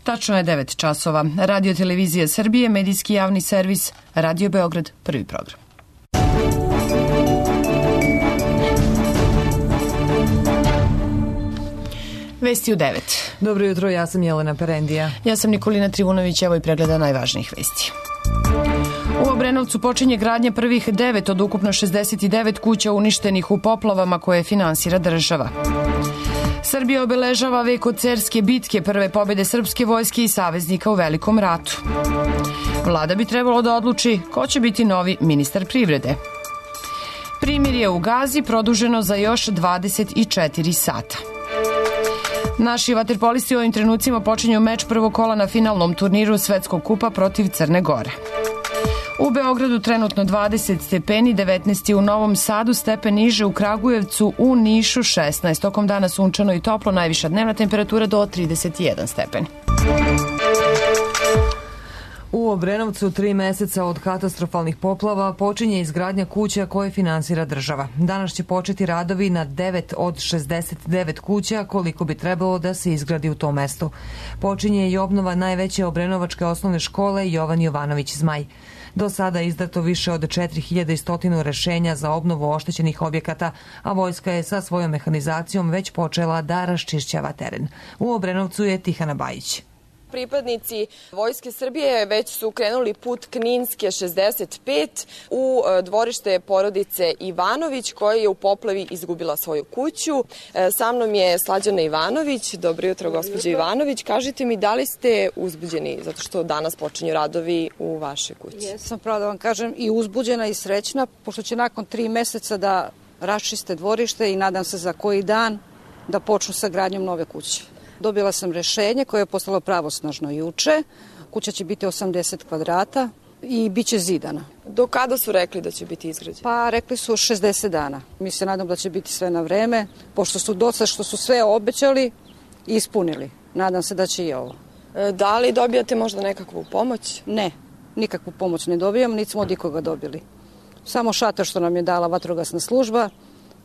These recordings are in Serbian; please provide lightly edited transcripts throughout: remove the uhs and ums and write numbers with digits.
Tačno je 9 časova. Radio Televizija Srbije, medijski javni servis, Radio Beograd, prvi program. Vesti u 9. Dobro jutro, ja sam Jelena Perendija. Ja sam Nikolina Trivunović, evo i pregleda najvažnijih vesti. U Obrenovcu počinje gradnja prvih 9 od ukupno 69 kuća uništenih u poplavama koje finansira država. Srbija obeležava vek od Cerske bitke, prve pobjede srpske vojske i saveznika u Velikom ratu. Vlada bi trebalo da odluči ko će biti novi ministar privrede. Primirje u Gazi produženo za još 24 sata. Naši vaterpolisti u ovim trenucima počinju meč prvog kola na finalnom turniru Svetskog kupa protiv Crne Gore. U Beogradu trenutno 20 stepeni, 19 u Novom Sadu, stepen niže u Kragujevcu, u Nišu 16. Tokom dana sunčano i toplo, najviša dnevna temperatura do 31 stepen. U Obrenovcu 3 meseca od katastrofalnih poplava počinje izgradnja kuća koje finansira država. Danas će početi radovi na 9 od 69 kuća koliko bi trebalo da se izgradi u tom mestu. Počinje i obnova najveće obrenovačke osnovne škole Jovan Jovanović Zmaj. Do sada je izdato više od 4100 rešenja za obnovu oštećenih objekata, a vojska je sa svojom mehanizacijom već počela da raščišćava teren. U Obrenovcu je Tihana Bajić. Pripadnici Vojske Srbije već su krenuli put Kninske 65 u dvorište porodice Ivanović koja je u poplavi izgubila svoju kuću. Sa mnom je Slađana Ivanović. Dobro jutro, gospođo Ivanović. Kažite mi, da li ste uzbuđeni zato što danas počinju radovi u vašoj kući? Jesam, pravo da vam kažem, i uzbuđena i srećna, pošto će nakon 3 meseca da raščiste dvorište i nadam se za koji dan da počnu sa gradnjom nove kuće. Dobila sam rešenje koje je postalo pravosnažno juče. Kuća će biti 80 kvadrata i bit će zidana. Do kada su rekli da će biti izgrađena? Pa rekli su 60 dana. Mi se nadam da će biti sve na vreme, pošto su dosta što su sve obećali i ispunili. Nadam se da će i ovo. Da li dobijate možda nekakvu pomoć? Ne, nikakvu pomoć ne dobijam, niti smo od ikoga dobili. Samo šator što nam je dala vatrogasna služba.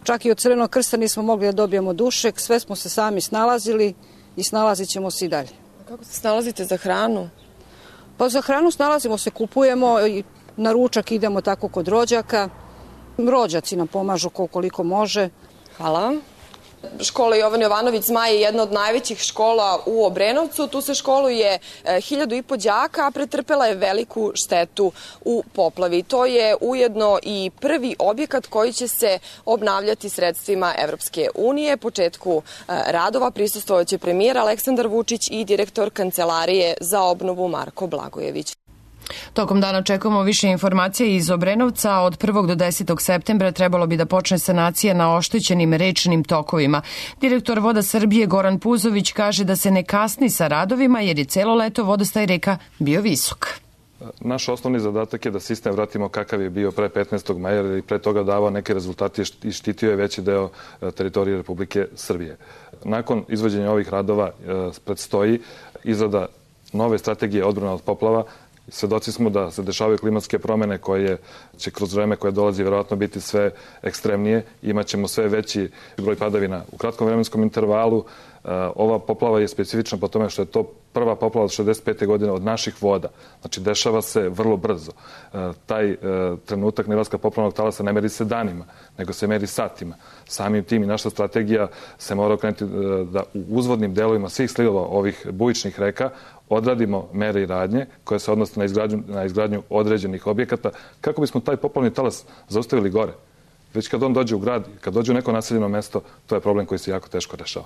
Čak i od Crvenog krsta nismo mogli da dobijemo dušek, sve smo se sami snalazili i snalazit ćemo se i dalje. A kako se snalazite za hranu? Pa za hranu snalazimo se, kupujemo i na ručak idemo tako kod rođaka. Rođaci nam pomažu koliko može. Hvala vam. Škola Jovan Jovanović Zmaj je jedna od najvećih škola u Obrenovcu. Tu se školuje 1500 đaka, a pretrpela je veliku štetu u poplavi. To je ujedno i prvi objekat koji će se obnavljati sredstvima Evropske unije. Početku radova prisustvovaće premijer Aleksandar Vučić i direktor Kancelarije za obnovu Marko Blagojević. Tokom dana očekujemo više informacija iz Obrenovca. Od 1. do 10. septembra trebalo bi da počne sanacija na oštećenim rečnim tokovima. Direktor Voda Srbije Goran Puzović kaže da se ne kasni sa radovima jer je celo leto vodostaj reka bio visok. Naš osnovni zadatak je da sistem vratimo kakav je bio pre 15. maja jer i pre toga davao neke rezultate i štitio je veći deo teritorije Republike Srbije. Nakon izvođenja ovih radova predstoji izrada nove strategije odbrane od poplava. Svedoci smo da se dešavaju klimatske promene koje će kroz vreme koje dolazi verovatno biti sve ekstremnije. Imaćemo sve veći broj padavina u kratkom vremenskom intervalu. Ova poplava je specifična po tome što je to prva poplava od 65. godine od naših voda. Znači, dešava se vrlo brzo. Taj trenutak nivoska poplavnog talasa ne meri se danima, nego se meri satima. Samim tim i naša strategija se mora okrenuti da u uzvodnim delovima svih slivova ovih bujičnih reka odradimo mere i radnje koje se odnose na izgradnju određenih objekata kako bismo taj poplavni talas zaustavili gore. Već kad on dođe u grad, kad dođe u neko naseljeno mesto, to je problem koji se jako teško rešava.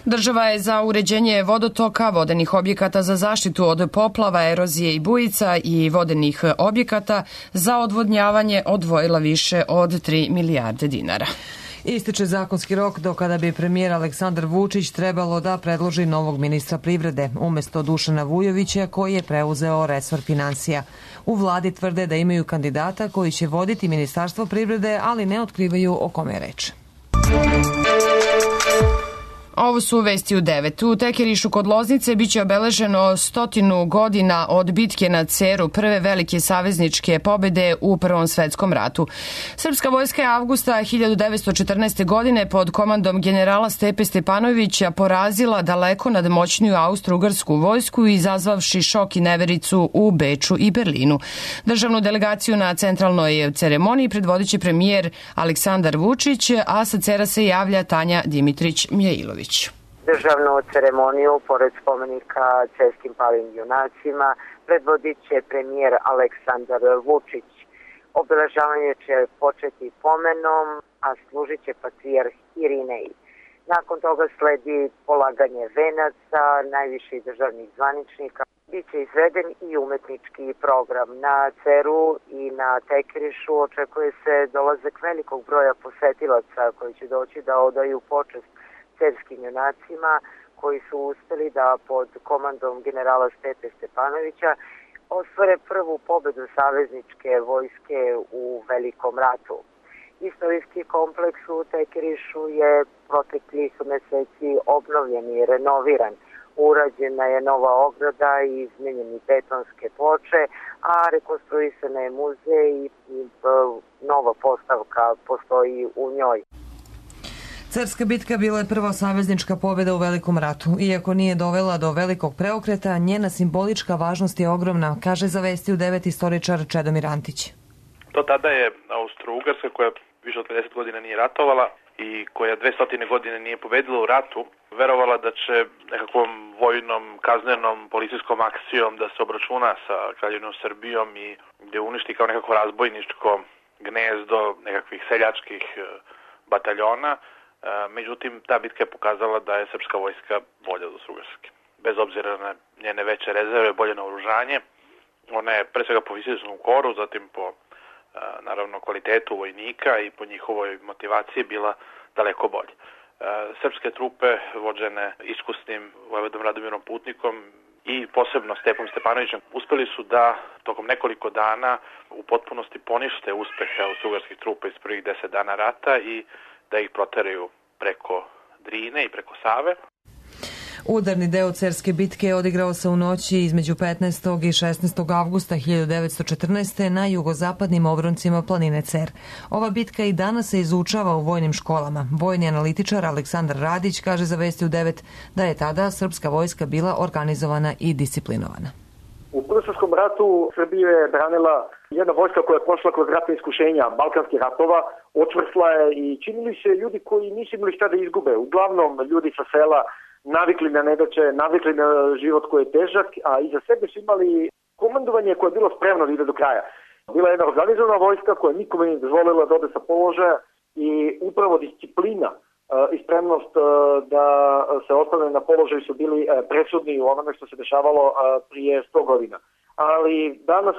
Država je za uređenje vodotoka, vodenih objekata za zaštitu od poplava, erozije i bujica i vodenih objekata za odvodnjavanje odvojila više od 3 milijarde dinara. Ističe zakonski rok do kada bi premijer Aleksandar Vučić trebalo da predloži novog ministra privrede, umesto Dušana Vujovića koji je preuzeo resor finansija. U vladi tvrde da imaju kandidata koji će voditi Ministarstvo privrede, ali ne otkrivaju o kome je reč. Ovo su vesti u 9. U Tekerišu kod Loznice biće obeleženo 100 godina od bitke na Ceru, prve velike savezničke pobede u Prvom svetskom ratu. Srpska vojska je avgusta 1914. godine pod komandom generala Stepe Stepanovića porazila daleko nadmoćniju austro-ugarsku vojsku, izazvavši šok i nevericu u Beču i Berlinu. Državnu delegaciju na centralnoj ceremoniji predvodit će premijer Aleksandar Vučić, a sa Cera se javlja Tanja Dimitrić-Mjailović. Državnu ceremoniju, pored spomenika cerskim palim junacima, predvodit će premijer Aleksandar Vučić. Obeležavanje će početi pomenom, a služit će patrijarh Irinej. Nakon toga sledi polaganje venaca najviših državnih zvaničnika. Biće izveden i umetnički program. Na Ceru i na Tekerišu očekuje se dolazak velikog broja posetilaca koji će doći da odaju počest cerskim junacima koji su uspeli da pod komandom generala Stepe Stepanovića ostvare prvu pobedu savezničke vojske u Velikom ratu. Istorijski kompleks u Tekerišu je proteklih meseci obnovljen i renoviran. Urađena je nova ograda i izmenjeni betonske ploče, a rekonstruisana je muzej i nova postavka postoji u njoj. Cerska bitka bila je prva saveznička pobjeda u Velikom ratu. Iako nije dovela do velikog preokreta, njena simbolička važnost je ogromna, kaže za Vesti u 9 istoričar Čedomir Antić. Do tada je Austro-Ugarska, koja više od 50 godina nije ratovala i koja 200 godine nije pobedila u ratu, verovala da će nekakvom vojnom, kaznenom, policijskom akcijom da se obračuna sa Kraljevinom Srbijom i gde uništi kao nekako razbojničko gnezdo nekakvih seljačkih bataljona. Međutim, ta bitka je pokazala da je srpska vojska bolja od Austro-Ugarske. Bez obzira na njene veće rezerve, bolje naoružanje, ona je pre svega po fizičkom koru, zatim po naravno kvalitetu vojnika i po njihovoj motivaciji bila daleko bolje. Srpske trupe vođene iskusnim vojvodom Radomirom Putnikom i posebno Stepom Stepanovićem uspeli su da tokom nekoliko dana u potpunosti ponište uspehe austro-ugarskih trupa iz prvih 10 dana rata i da ih proteraju preko Drine i preko Save. Udarni deo Cerske bitke odigrao se u noći između 15. i 16. avgusta 1914. na jugozapadnim obroncima planine Cer. Ova bitka i danas se izučava u vojnim školama. Vojni analitičar Aleksandar Radić kaže za Vesti u 9 da je tada srpska vojska bila organizovana i disciplinovana. U Prvom svetskom ratu Srbiju je branila jedna vojska koja je prošla kroz ratne iskušenja balkanskih ratova, očvrsla je i činili se ljudi koji nisu imali šta da izgube. Uglavnom ljudi sa sela navikli na nedaće, navikli na život koji je težak, a iza sebe su imali komandovanje koje je bilo spremno da ide do kraja. Bila je jedna organizovana vojska koja nikome nije dozvolila da ode sa položaja i upravo disciplina i spremnost da se ostane na položaju su bili presudni u onome što se dešavalo prije 100 godina. Ali danas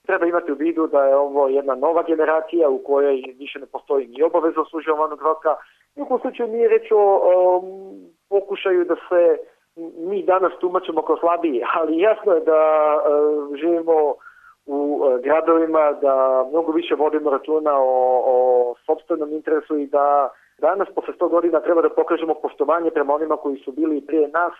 treba imati u vidu da je ovo jedna nova generacija u kojoj više ne postoji ni obaveza odsluženja vojnog roka. U slučaju nije reč o pokušaju da se mi danas tumačimo kao slabiji, ali jasno je da živimo u gradovima, da mnogo više vodimo računa o sopstvenom interesu i da danas, posle 100 godina, treba da pokažemo poštovanje prema onima koji su bili prije nas.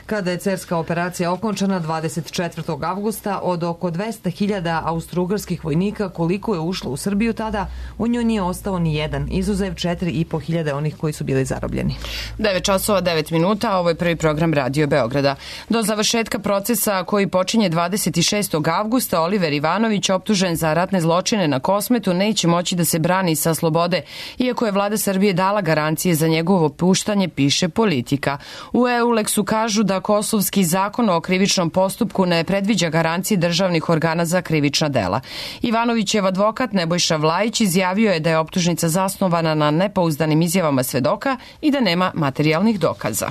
Kada je cerska operacija okončana 24. avgusta, od oko 200.000 austro-ugarskih vojnika koliko je ušlo u Srbiju tada, u njoj nije ostao ni jedan, izuzev 4.500 onih koji su bili zarobljeni. 9 časova 9 minuta, ovo je prvi program Radio Beograda. Do završetka procesa koji počinje 26. avgusta, Oliver Ivanović, optužen za ratne zločine na Kosmetu, neće moći da se brani sa slobode, iako je vlada Srbije dala garancije za njegovo puštanje, piše Politika. U EULEX-u kažu da kosovski zakon o krivičnom postupku ne predviđa garancije državnih organa za krivična dela. Ivanovićev advokat Nebojša Vlajić izjavio je da je optužnica zasnovana na nepouzdanim izjavama svedoka i da nema materijalnih dokaza.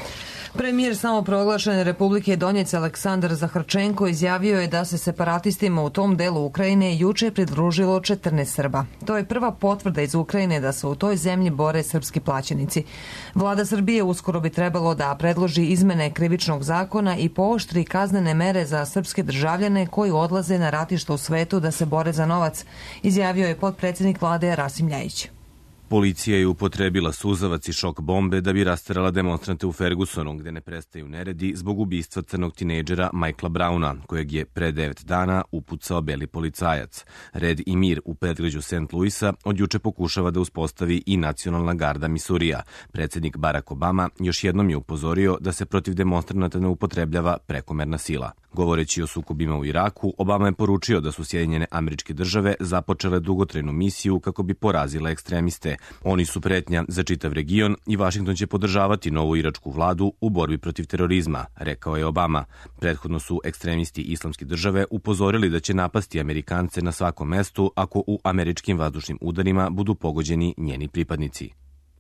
Premijer samoproglašene Republike Donjec Aleksandar Zaharčenko izjavio je da se separatistima u tom delu Ukrajine juče pridružilo 14 Srba. To je prva potvrda iz Ukrajine da se u toj zemlji bore srpski plaćenici. Vlada Srbije uskoro bi trebalo da predloži izmene krivičnog zakona i pooštri kaznene mere za srpske državljane koji odlaze na ratišta u svetu da se bore za novac, izjavio je potpredsjednik vlade Rasim Ljajić. Policija je upotrebila suzavac i šok bombe da bi rasterala demonstrante u Fergusonu, gde ne prestaju neredi zbog ubistva crnog tinejdžera Michaela Browna, kojeg je pre 9 dana upucao beli policajac. Red i mir u predgrađu St. Louisa od juče pokušava da uspostavi i Nacionalna garda Misurija. Predsednik Barack Obama još jednom je upozorio da se protiv demonstranata ne upotrebljava prekomerna sila. Govoreći o sukobima u Iraku, Obama je poručio da su Sjedinjene Američke Države započele dugotrajnu misiju kako bi porazile ekstremiste. Oni su pretnja za čitav region i Vašington će podržavati novu iračku vladu u borbi protiv terorizma, rekao je Obama. Prethodno su ekstremisti Islamske države upozorili da će napasti Amerikance na svakom mestu ako u američkim vazdušnim udarima budu pogođeni njeni pripadnici.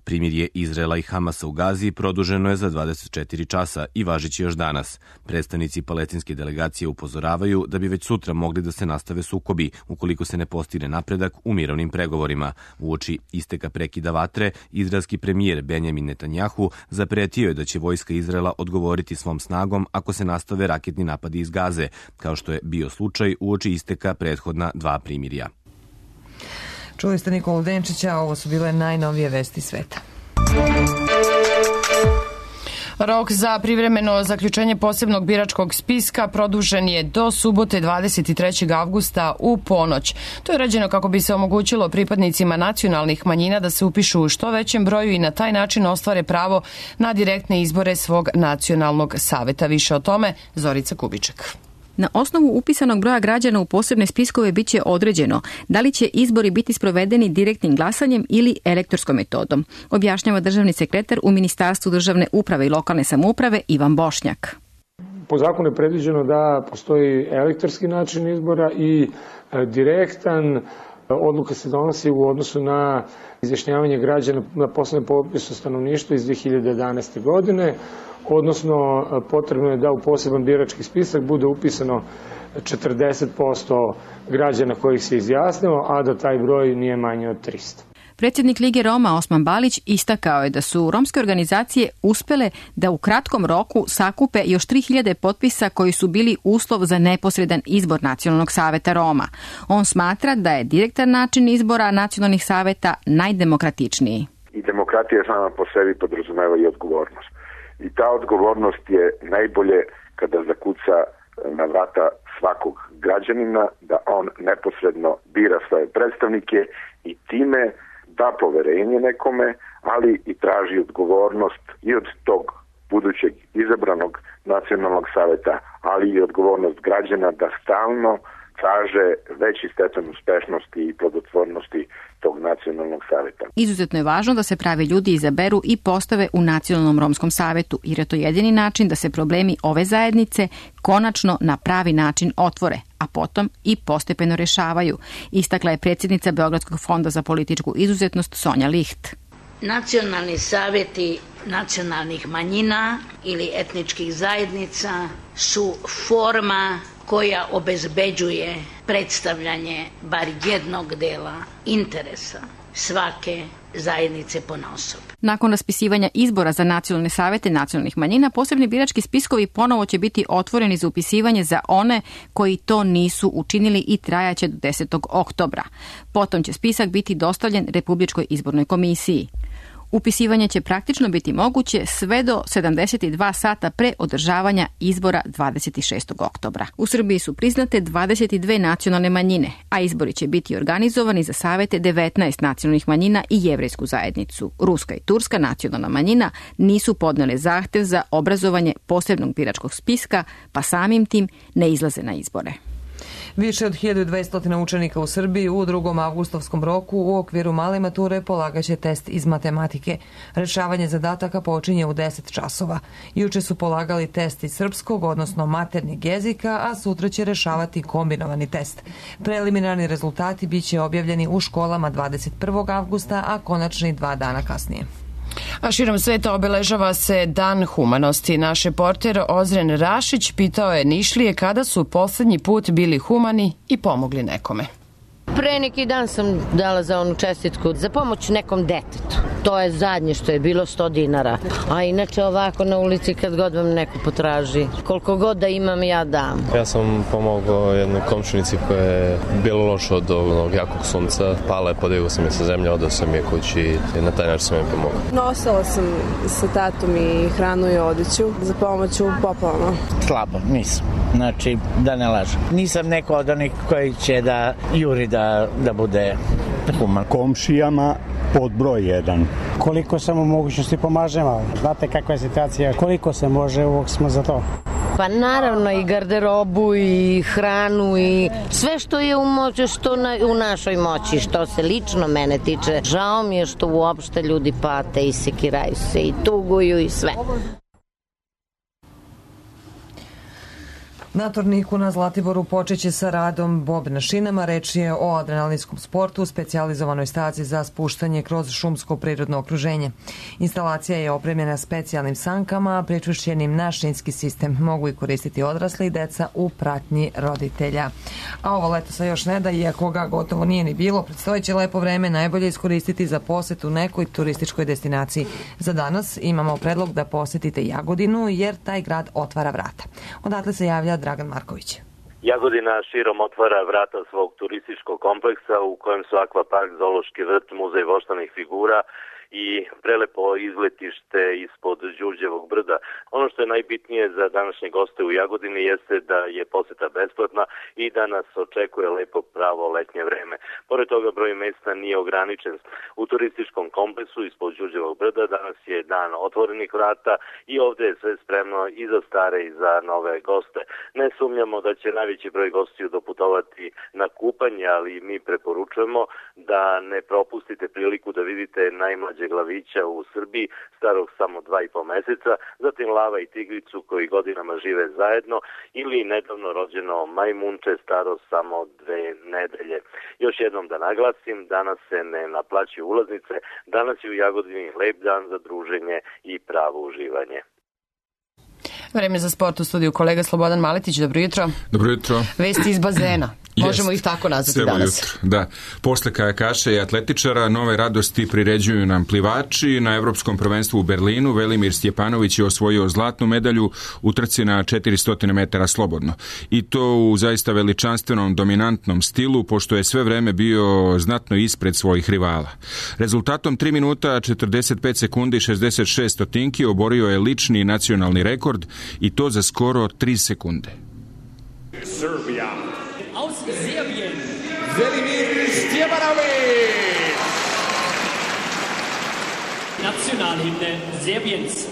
Primirje Izraela i Hamasa u Gazi produženo je za 24 časa i važiće još danas. Predstavnici palestinske delegacije upozoravaju da bi već sutra mogli da se nastave sukobi ukoliko se ne postigne napredak u mirovnim pregovorima. Uoči isteka prekida vatre, izraelski premijer Benjamin Netanjahu zapretio je da će vojska Izraela odgovoriti svom snagom ako se nastave raketni napadi iz Gaze, kao što je bio slučaj uoči isteka prethodna 2 primirja. Čuli ste Nikolu Denčića, ovo su bile najnovije vesti sveta. Rok za privremeno zaključenje posebnog biračkog spiska produžen je do subote 23. avgusta u ponoć. To je rađeno kako bi se omogućilo pripadnicima nacionalnih manjina da se upišu u što većem broju i na taj način ostvare pravo na direktne izbore svog nacionalnog saveta. Više o tome Zorica Kubiček. Na osnovu upisanog broja građana u posebne spiskove bit će određeno da li će izbori biti sprovedeni direktnim glasanjem ili elektronskom metodom, objašnjava državni sekretar u Ministarstvu državne uprave i lokalne samouprave Ivan Bošnjak. Po zakonu je predviđeno da postoji elektronski način izbora i direktan. Odluka se donosi u odnosu na izjašnjavanje građana na poslednjem popisu stanovništva iz 2011. godine, odnosno potrebno je da u poseban birački spisak bude upisano 40% građana kojih se izjasnilo, a da taj broj nije manji od 300. Predsjednik Lige Roma Osman Balić istakao je da su romske organizacije uspele da u kratkom roku sakupe još 3000 potpisa koji su bili uslov za neposredan izbor Nacionalnog saveta Roma. On smatra da je direktan način izbora nacionalnih saveta najdemokratičniji. I demokratija sama po sebi podrazumeva i odgovornost. I ta odgovornost je najbolje kada zakuca na vrata svakog građanina, da on neposredno bira svoje predstavnike i time da poverenje nekome, ali i traži odgovornost i od tog budućeg izabranog nacionalnog saveta, ali i odgovornost građana da stalno traže veći stepen uspešnosti i plodotvornosti tog nacionalnog saveta. Izuzetno je važno da se pravi ljudi izaberu i postave u Nacionalnom romskom savetu, jer je to jedini način da se problemi ove zajednice konačno na pravi način otvore, a potom i postepeno rešavaju, istakla je predsjednica Beogradskog fonda za političku izuzetnost Sonja Licht. Nacionalni saveti nacionalnih manjina ili etničkih zajednica su forma koja obezbeđuje predstavljanje bar jednog dela interesa svake zajednice ponaosob. Nakon raspisivanja izbora za nacionalne savete nacionalnih manjina, posebni birački spiskovi ponovo će biti otvoreni za upisivanje za one koji to nisu učinili i trajaće do 10. oktobra. Potom će spisak biti dostavljen Republičkoj izbornoj komisiji. Upisivanje će praktično biti moguće sve do 72 sata pre održavanja izbora 26. oktobra. U Srbiji su priznate 22 nacionalne manjine, a izbori će biti organizovani za savete 19 nacionalnih manjina i jevrejsku zajednicu. Ruska i turska nacionalna manjina nisu podnele zahtev za obrazovanje posebnog biračkog spiska, pa samim tim ne izlaze na izbore. Više od 1200 učenika u Srbiji u 2. avgustovskom roku u okviru male mature polagaće test iz matematike. Rešavanje zadataka počinje u 10 časova. Juče su polagali test iz srpskog, odnosno maternjeg jezika, a sutra će rešavati kombinovani test. Preliminarni rezultati biće objavljeni u školama 21. avgusta, a konačni 2 dana kasnije. A širom sveta obeležava se Dan humanosti. Naš reporter Ozren Rašić pitao je Nišlije kada su poslednji put bili humani i pomogli nekome. Pre neki dan sam dala za onu čestitku za pomoć nekom detetu. To je zadnje što je bilo 100 dinara. A inače ovako na ulici kad god vam neko potraži. Koliko god da imam, ja dam. Ja sam pomogao jednoj komšinici koja je bilo loše od ovog jakog sunca. Pala je, podigao sam je sa zemlje, odao sam je kući i na taj način sam je pomogao. Nosila sam sa tatom i hranu i odeću za pomoć u poplavama. Slabo, nisam. Znači, da ne lažem. Nisam neko od onih koji će da juri da bude human. Komšijama pod broj 1. Koliko sam u mogućnosti pomažemo. Znate kakva je situacija, koliko se može, uvijek smo za to. Pa naravno i garderobu i hranu i sve što je u našoj moći, što se lično mene tiče. Žao mi je što uopšte ljudi pate i sekiraju se i tuguju i sve. Na torniku na Zlatiboru počeće sa radom bob na šinama. Reč je o adrenalinskom sportu, specijalizovanoj stazi za spuštanje kroz šumsko prirodno okruženje. Instalacija je opremljena specijalnim sankama, pričvršćenim na šinski sistem. Mogu i koristiti odrasli i deca u pratnji roditelja. A ovo leto se još ne da, iako ga gotovo nije ni bilo, predstojeće lepo vreme najbolje iskoristiti za posetu nekoj turističkoj destinaciji. Za danas imamo predlog da posetite Jagodinu, jer taj grad otvara vrata. Odatle se javlja Dragan Marković. Jagodina širom otvara vrata svog turističkog kompleksa u kojem su akvapark, zoološki vrt, muzej voštanih figura i prelepo izletište ispod Đurđevog brda. Ono što je najbitnije za današnje goste u Jagodini jeste da je poseta besplatna i da nas očekuje lepo pravo letnje vreme. Pored toga broj mesta nije ograničen. U turističkom kompleksu ispod Đurđevog brda danas je dan otvorenih vrata i ovde je sve spremno i za stare i za nove goste. Ne sumnjamo da će najveći broj gostiju doputovati na kupanje, ali mi preporučujemo da ne propustite priliku da vidite najmlađe glavića u Srbiji, starog samo 2,5 meseca, zatim lava i tigricu koji godinama žive zajedno ili nedavno rođeno majmunče staro samo 2 nedelje. Još jednom da naglasim, danas se ne naplaćuju ulaznice, danas je u Jagodini lep dan za druženje i pravo uživanje. Vreme za sport u studiju kolega Slobodan Maletić, dobro jutro. Dobro jutro. Vesti iz bazena. Možemo ih tako nazvati danas. Jutro, da. Posle kajakaša i atletičara, nove radosti priređuju nam plivači. Na Evropskom prvenstvu u Berlinu Velimir Stjepanović je osvojio zlatnu medalju u trci na 400 metara slobodno. I to u zaista veličanstvenom, dominantnom stilu, pošto je sve vreme bio znatno ispred svojih rivala. Rezultatom 3 minuta 45 sekundi i 66 stotinki oborio je lični nacionalni rekord i to za skoro 3 sekunde. Serbia. Aus Serbien, Velimir Stjepanović. Nationalhymne Serbiens.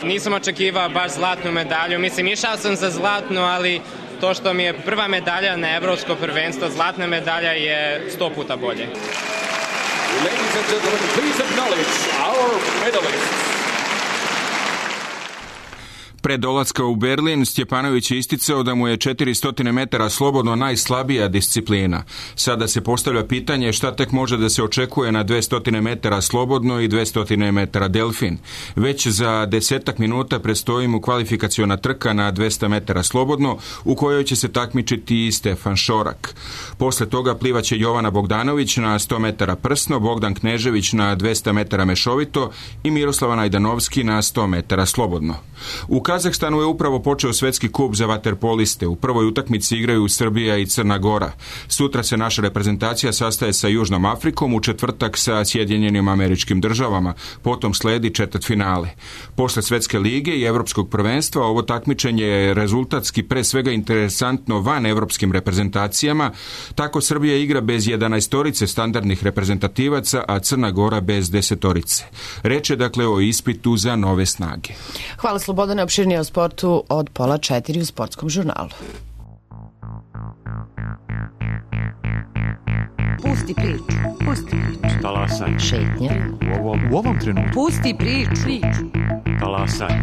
Nisam očekivao baš zlatnu medalju. Mislim, išao sam za zlatnu, ali to što mi je prva medalja na Evropsko prvenstvo, zlatna medalja je 100 puta bolje. Ladies and gentlemen, please acknowledge our medalists. Pre dolaska u Berlin, Stjepanović je isticao da mu je 400 metara slobodno najslabija disciplina. Sada se postavlja pitanje šta tek može da se očekuje na 200 metara slobodno i 200 metara delfin. Već za 10 minuta predstoji mu kvalifikaciona trka na 200 metara slobodno, u kojoj će se takmičiti i Stefan Šorak. Posle toga plivaće Jovana Bogdanović na 100 metara prsno, Bogdan Knežević na 200 metara mešovito i Miroslava Najdanovski na 100 metara slobodno. U Kazahstanu je upravo počeo svetski kup za vaterpoliste. U prvoj utakmici igraju Srbija i Crna Gora. Sutra se naša reprezentacija sastaje sa Južnom Afrikom, u četvrtak sa Sjedinjenim Američkim Državama. Potom sledi četvrtfinale. Posle Svetske lige i Evropskog prvenstva ovo takmičenje je rezultatski pre svega interesantno van evropskim reprezentacijama. Tako Srbija igra bez 11 standardnih reprezentativaca, a Crna Gora bez 10. Reč je dakle o ispitu za nove snage. Hvala Slobodane, opširnije o sportu od 3:30 u Sportskom žurnalu. Pusti priču. Talasaj. Šetnja. U ovom trenutku. Pusti priču. Talasaj.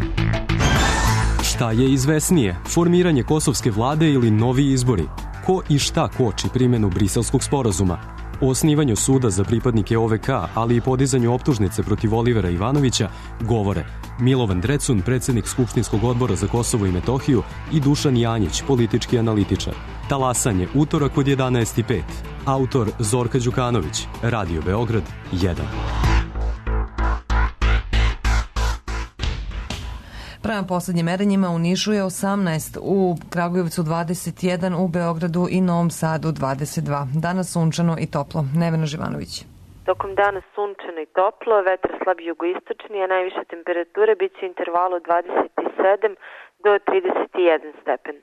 Šta je izvesnije, formiranje kosovske vlade ili novi izbori? Ko i šta koči primjenu Briselskog sporazuma? O osnivanju suda za pripadnike OVK, ali i podizanju optužnice protiv Olivera Ivanovića, govore Milovan Drecun, predsjednik Skupštinskog odbora za Kosovo i Metohiju, i Dušan Janjić, politički analitičar. Talasanje, utorak od 11:05. Autor Zorka Đukanović, Radio Beograd 1. Prema poslednjim merenjima u Nišu je 18, u Kragujevcu 21, u Beogradu i Novom Sadu 22. Danas sunčano i toplo. Nevena Živanović. Tokom dana sunčano i toplo, vetar slab jugoistočni, a najviše temperature bit će u intervalu 27 do 31 stepen.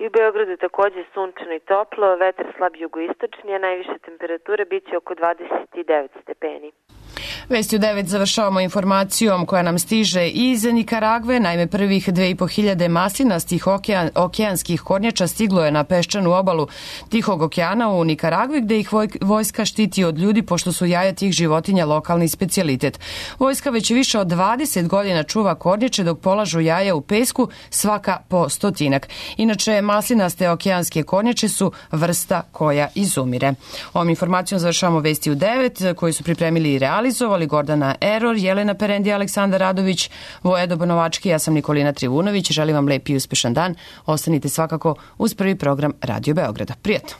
I u Beogradu takođe sunčano i toplo, vetar slab jugoistočni, a najviše temperature bit će oko 29 stepeni. Vesti u 9 završavamo informacijom koja nam stiže iz Nikaragve. Naime, prvih 2.500 maslinastih okeanskih kornjača stiglo je na peščanu obalu Tihog okeana u Nikaragvi, gde ih vojska štiti od ljudi, pošto su jaja tih životinja lokalni specijalitet. Vojska već više od 20 godina čuva kornjače dok polažu jaja u pesku, svaka po 100. Inače, maslinaste okeanske kornjače su vrsta koja izumire. Ovom informacijom završavamo vesti u 9, koji su pripremili i realizovali Gordana Eror, Jelena Perendi, Aleksandar Radović, Vojedo Bonovački, ja sam Nikolina Trivunović. Želim vam lep i uspešan dan. Ostanite svakako uz prvi program Radio Beograda. Prijatno!